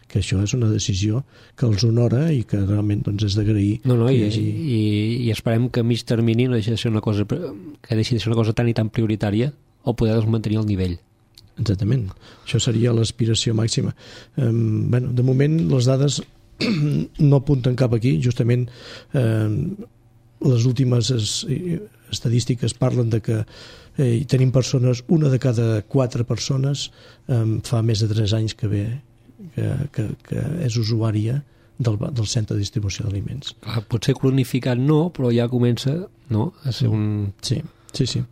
S3: que això és una decisió que els honora i que realment doncs, és d'agrair.
S2: No, no, i,
S3: hagi...
S2: i, i esperem que a mig termini no deixi de ser una cosa, que deixi de ser una cosa tan i tan prioritària o poder mantenir el nivell.
S3: Exactament, això seria l'aspiració màxima. Um, bueno, de moment les dades no apunten cap aquí, justament eh, les últimes es, estadístiques parlen de que eh, tenim persones, una de cada quatre persones eh, fa més de tres anys que ve que, que, que és usuària del, del centre de distribució d'aliments.
S2: Potser cronificat no, però ja comença no, a ser un...
S3: Sí, sí, sí.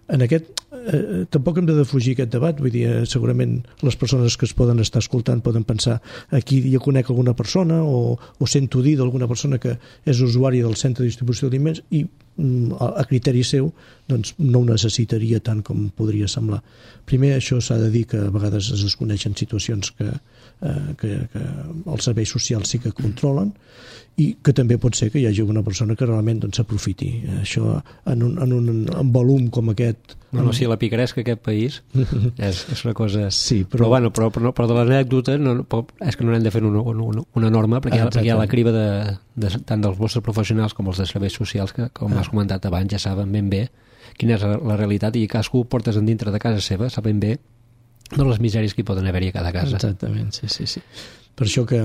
S3: En aquest, eh, tampoc hem de defugir aquest debat, vull dir, eh, segurament les persones que es poden estar escoltant poden pensar aquí ja conec alguna persona o, o sento dir d'alguna persona que és usuari del centre de distribució d'aliments i mm, a, a criteri seu doncs no ho necessitaria tant com podria semblar. Primer, això s'ha de dir que a vegades es desconeixen situacions que, eh, que, que els serveis socials sí que controlen i que també pot ser que hi hagi una persona que realment doncs, s'aprofiti. Això en un, en un en volum com aquest...
S2: No, no, sí, la picaresca aquest país és, és una cosa...
S3: Sí, però...
S2: Però, bueno, però, però, però de l'anècdota no, és que no n'hem de fer una, una, una norma perquè, ah, perquè hi ha la criba de, de, tant dels vostres professionals com els de serveis socials que, com ah. has comentat abans, ja saben ben bé quina és la realitat i cadascú ho portes en dintre de casa seva, saben bé de les misèries que hi poden haver-hi a cada casa.
S3: Exactament, sí, sí, sí. Per això que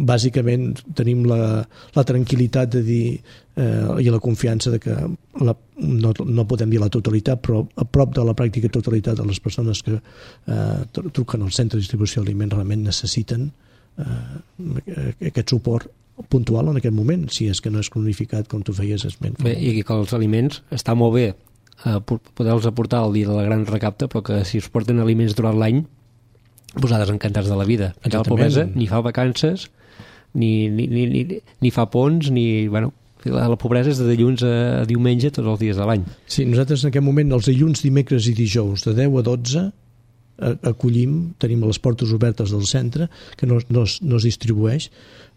S3: bàsicament tenim la, la tranquil·litat de dir eh, i la confiança de que la, no, no podem dir la totalitat, però a prop de la pràctica totalitat de les persones que eh, truquen al centre de distribució d'aliments realment necessiten eh, aquest suport puntual en aquest moment, si és que no és cronificat com tu feies esment.
S2: Bé, i que els aliments està molt bé eh, poder-los aportar el dia de la gran recapta, però que si es porten aliments durant l'any posades encantats de la vida. Perquè la pobresa ni fa vacances, ni, ni, ni, ni, ni fa ponts, ni... Bueno, la, la pobresa és de dilluns a diumenge tots els dies de l'any.
S3: Sí, nosaltres en aquest moment, els dilluns, dimecres i dijous, de deu a dotze, acollim, tenim les portes obertes del centre, que no, no, es, no es distribueix,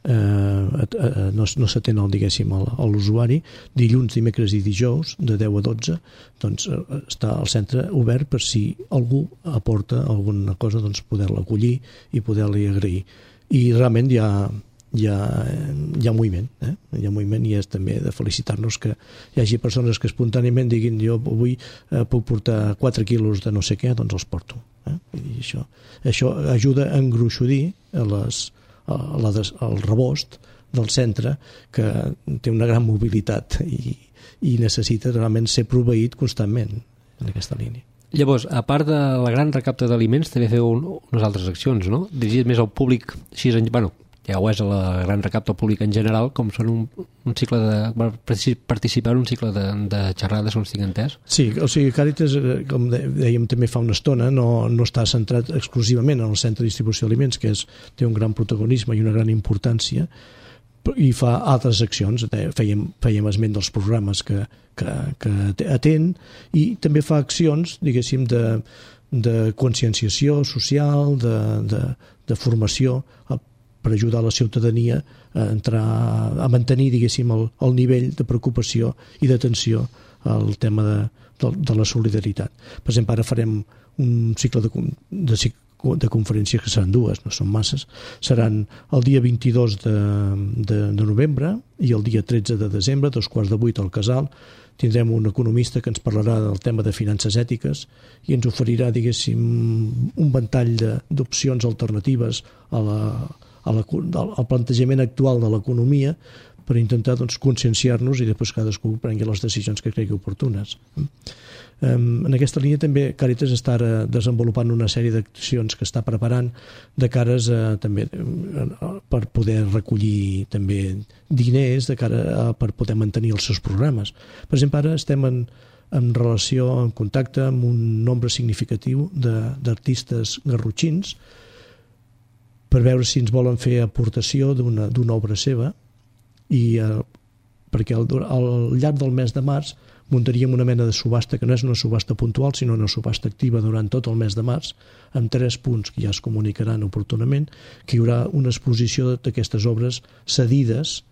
S3: eh, eh, no, no s'atén al, diguéssim, a l'usuari. Dilluns, dimecres i dijous, de deu a dotze, doncs està el centre obert per si algú aporta alguna cosa, doncs poder-la acollir i poder-li agrair. I realment hi ha, hi ha, hi ha moviment, eh? Hi ha moviment i és també de felicitar-nos que hi hagi persones que espontàniament diguin jo avui eh, puc portar quatre quilos de no sé què, doncs els porto. Eh? I això, això ajuda a engruixodir a les, a la des, al rebost del centre que té una gran mobilitat i, i necessita realment ser proveït constantment en aquesta línia.
S2: Llavors, a part de la gran recapta d'aliments, també feu un, unes altres accions, no? Dirigit més al públic, així, bueno, ja ho és a la gran recapta pública en general, com són un, un cicle de... participar en un cicle de, de xerrades, on estic entès?
S3: Sí, o sigui, Càritas, com dèiem també fa una estona, no, no està centrat exclusivament en el centre de distribució d'aliments, que és, té un gran protagonisme i una gran importància, i fa altres accions. Fèiem, fèiem esment dels programes que, que, que atén, i també fa accions, diguéssim, de, de conscienciació social, de, de, de formació, per ajudar la ciutadania a entrar, a mantenir, diguéssim, el, el nivell de preocupació i d'atenció al tema de, de, de la solidaritat. Per exemple, ara farem un cicle de, de, de conferències que seran dues, no són masses. Seran el dia vint-i-dos de, de, de novembre i el dia tretze de desembre, dos quarts de vuit al Casal. Tindrem un economista que ens parlarà del tema de finances ètiques i ens oferirà, diguéssim, un ventall d'opcions alternatives a la, a la, al plantejament actual de l'economia, per intentar, doncs, conscienciar-nos i després cadascú prengui les decisions que cregui oportunes. En aquesta línia també Càritas està ara desenvolupant una sèrie d'accions que està preparant de cares a, també, per poder recollir també diners de cara a, per poder mantenir els seus programes. Per exemple, ara estem en, en relació, en contacte amb un nombre significatiu d'artistes garrotxins per veure si ens volen fer aportació d'una d'una obra seva, i eh, perquè al, al llarg del mes de març muntaríem una mena de subhasta que no és una subhasta puntual sinó una subhasta activa durant tot el mes de març, amb tres punts que ja es comunicaran oportunament, que hi haurà una exposició d'aquestes obres cedides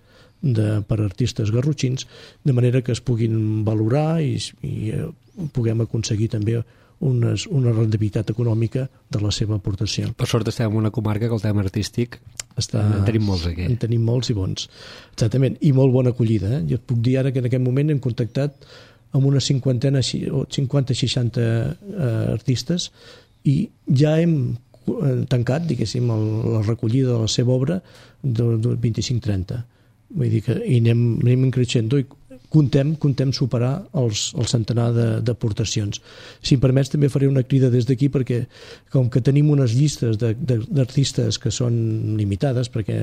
S3: de, per artistes garrotxins, de manera que es puguin valorar i, i eh, puguem aconseguir també unes, una rendibilitat econòmica de la seva aportació.
S2: Per sort estem en una comarca que el tema artístic està... en tenim molts aquí.
S3: En tenim molts i bons. Exactament, i molt bona acollida. Eh? Jo et puc dir ara que en aquest moment hem contactat amb una cinquantena o cinquanta seixanta eh, artistes i ja hem tancat, diguéssim, el, la recollida de la seva obra de, de vint-i-cinc trenta. Vull dir que i anem, anem creixent i contem, contem superar els, el centenar d'aportacions. Si em permets, també faré una crida des d'aquí perquè com que tenim unes llistes d'artistes que són limitades, perquè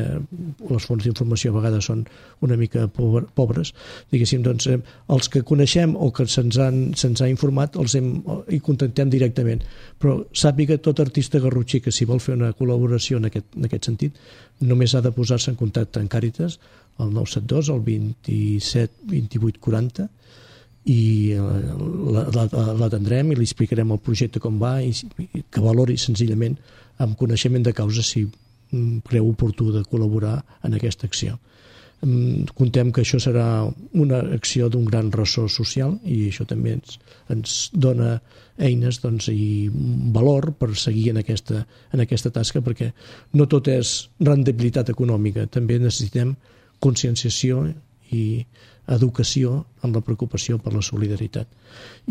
S3: les fonts d'informació a vegades són una mica pobres, diguéssim, doncs, eh, els que coneixem o que se'ns se ha informat els hem, hi contactem directament. Però sàpiga tot artista garrotxí que si vol fer una col·laboració en aquest, en aquest sentit, només ha de posar-se en contacte amb Càritas el nou set dos, el vint-i-set vint-i-vuit quaranta i l'atendrem i li explicarem el projecte com va i que valori senzillament amb coneixement de causa si creu oportú de col·laborar en aquesta acció. Contem que això serà una acció d'un gran ressò social i això també ens, ens dona eines, doncs, i valor per seguir en aquesta, en aquesta tasca, perquè no tot és rendibilitat econòmica, també necessitem conscienciació i educació amb la preocupació per la solidaritat.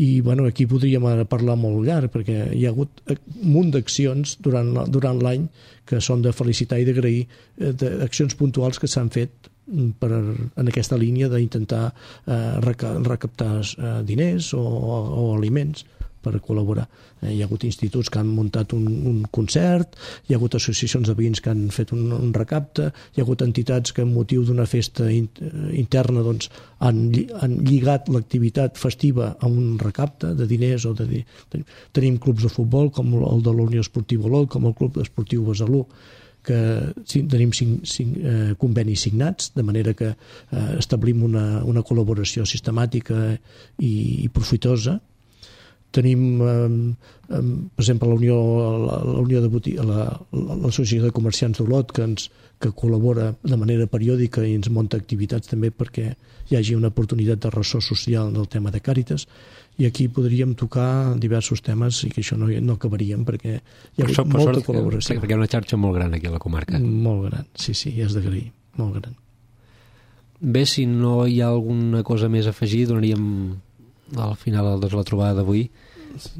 S3: I bueno, aquí podríem ara parlar molt llarg perquè hi ha hagut un munt d'accions durant, durant l'any que són de felicitar i d'agrair, d'accions puntuals que s'han fet per, en aquesta línia d'intentar eh, recaptar eh, diners o, o aliments per col·laborar. Eh, hi ha hagut instituts que han muntat un, un concert, hi ha hagut associacions de veïns que han fet un, un recapte, hi ha hagut entitats que amb motiu d'una festa in, interna doncs, han, han lligat l'activitat festiva a un recapte de diners. O de, de, tenim clubs de futbol com el de la Unió Esportiva Olot, com el Club Esportiu Besalú, que sí, tenim cinc, cinc eh, convenis signats, de manera que eh, establim una, una col·laboració sistemàtica i, i profitosa. Tenim, eh, per exemple, la Unió, la, la Unió de Botiga, l'Associació de Comerciants d'Olot, que ens que col·labora de manera periòdica i ens munta activitats també perquè hi hagi una oportunitat de ressò social del tema de Càritas, i aquí podríem tocar diversos temes i que això no, no acabaríem perquè hi ha hagut molta sort, col·laboració.
S2: Perquè hi ha una xarxa molt gran aquí a la comarca.
S3: Molt gran, sí, sí, és d'agrair, molt gran.
S2: Bé, si no hi ha alguna cosa més a afegir, donaríem al final de la trobada d'avui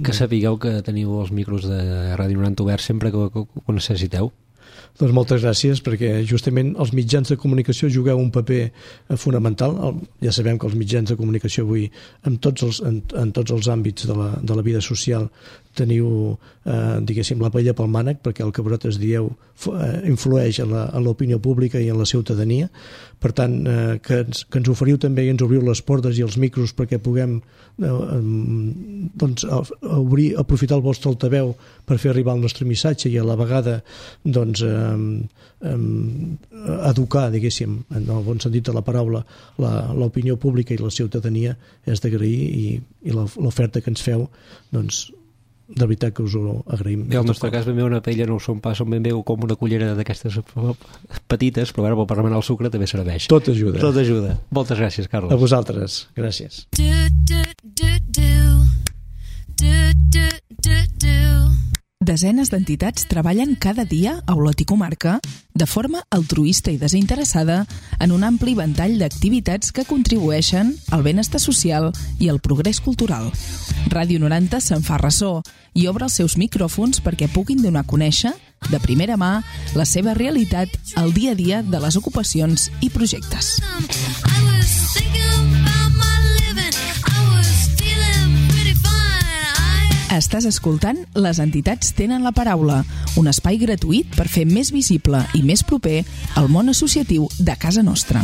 S2: que sapigueu que teniu els micros de Ràdio noranta oberts sempre que ho necessiteu.
S3: Doncs moltes gràcies, perquè justament els mitjans de comunicació jugueu un paper fonamental. Ja sabem que els mitjans de comunicació avui en tots els, en, en tots els àmbits de la, de la vida social teniu, eh, diguéssim, la paella pel mànec, perquè el que vosaltres dieu eh, influeix en l'opinió pública i en la ciutadania. Per tant, eh, que, ens, que ens oferiu també i ens obriu les portes i els micros perquè puguem eh, doncs, obrir, aprofitar el vostre altaveu per fer arribar el nostre missatge i a la vegada doncs, eh, eh, educar, diguéssim, en el bon sentit de la paraula, l'opinió pública i la ciutadania, és d'agrair, i, i l'oferta que ens feu, doncs, de veritat que us ho agraïm.
S2: I al nostre cas ben bé una paella no ho són pas, són ben bé com una cullera d'aquestes petites, però ara per remenar el sucre també serveix.
S3: Tot ajuda.
S2: Tot ajuda. Moltes gràcies, Carles.
S3: A vosaltres. Gràcies.
S1: Desenes d'entitats treballen cada dia a Olot i Comarca de forma altruista i desinteressada en un ampli ventall d'activitats que contribueixen al benestar social i al progrés cultural. Ràdio noranta se'n fa ressò i obre els seus micròfons perquè puguin donar a conèixer, de primera mà, la seva realitat al dia a dia de les ocupacions i projectes. Estàs escoltant Les entitats tenen la paraula, un espai gratuït per fer més visible i més proper el món associatiu de casa nostra.